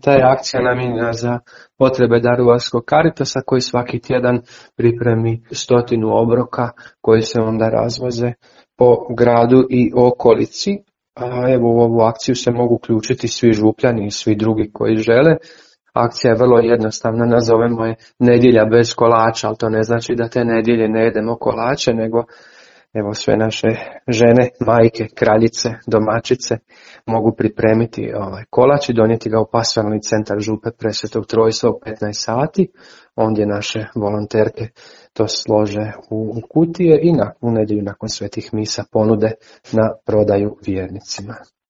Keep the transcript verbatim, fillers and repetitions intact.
Ta je akcija namijenjena za potrebe Daruvarskog Caritasa koji svaki tjedan pripremi stotinu obroka koji se onda razvoze po gradu i okolici. A evo u ovu akciju se mogu uključiti svi župljani i svi drugi koji žele. Akcija je vrlo jednostavna, nazovemo je nedjelja bez kolača, ali to ne znači da te nedjelje ne jedemo kolače, nego evo sve naše žene, majke, kraljice, domaćice mogu pripremiti ovaj kolač i donijeti ga u pastoral centar Župe Presvetog Trojstva u petnaest sati. Ondje naše volonterke to slože u kutije i na, u nedjelju nakon svetih misa ponude na prodaju vjernicima.